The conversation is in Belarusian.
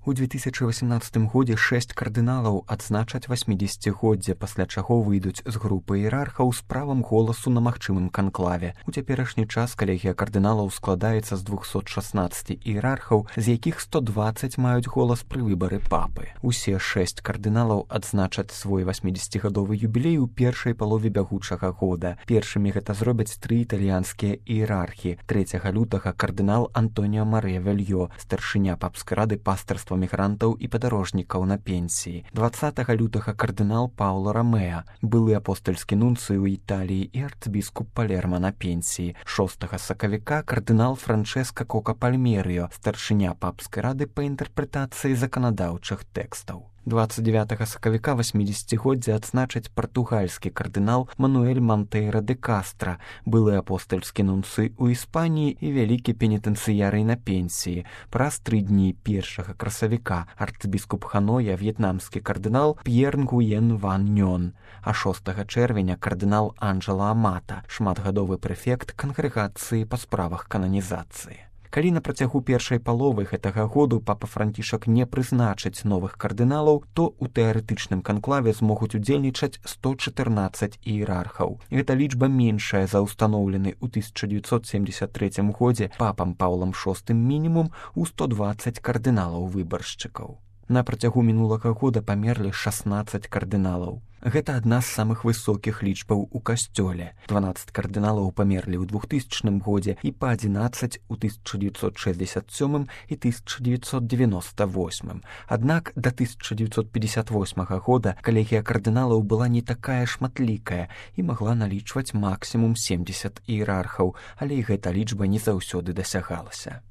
У 2018 годзе 6 кардыналаў адзначаць 80годдзе, пасля чаго выйдуць з групы іерархаў з правам голасу на магчымым канклаве. У цяперашні час калегія кардыналаў складаецца з 216 іерархаў, з якіх 120 маюць голас пры выбары папы. Усе 6 кардыналаў адзначаць свой 80гадовы юбілей у першай палове бягучага года. Першымі гэта зробяць 3 італьянскія іерархі. 3 лютага кардынал Антоніо Марыя Вельё, старшыня папскай рады пастырства мігрантаў і падарожнікаў на пенсіі. 20 лютага кардынал Пауло Ромеа, былы апостальскі нунцый у Італіі і арцбіскуп Палерма на пенсіі. 6 сакавіка кардынал Франчэска Кока Пальмерыо, старшыня папскай рады па інтэрпрэтацыі заканадаўчых тэкстаў. 29 сакавіка 80годдзе адзначаць партугальскі кардынал Мануэль Монтейра де Кастра, былы апостальскі нунцый у Іспаніі і вялікі пенітэнцыярый на пенсіі. Праз 3 дні 1 красавіка арцбіскуп Ханоя в'етнамскі кардынал П'ер Нгуен Ван Нён, а 6 чэрвеня кардынал Анджела Амата, шматгадовы прэфект кангрэгацыі па справах кананізацыі. Калі на працягу першай паловы гэтага году папа Францішак не прызначыць новых кардыналаў, то ў тэарэтычным канклаве змогуць удзельнічаць 114 іерархаў. Гэта лічба меншая за ўстаноўлены ў 1973 годзе папам Паўлам VI мінімум у 120 кардыналаў-выбаршчыкаў. На працягу мінулага года памерлі 16 кардыналаў. Гэта адна з самых высокіх лічбаў у касцёле. 12 кардыналаў памерлі ў 2000 годзе і па 11 у 1967 і 1998. Аднак да 1958 года калегія кардыналаў была не такая шматлікая і магла налічваць максімум 70 іерархаў, але і гэта лічба не заўсёды дасягалася.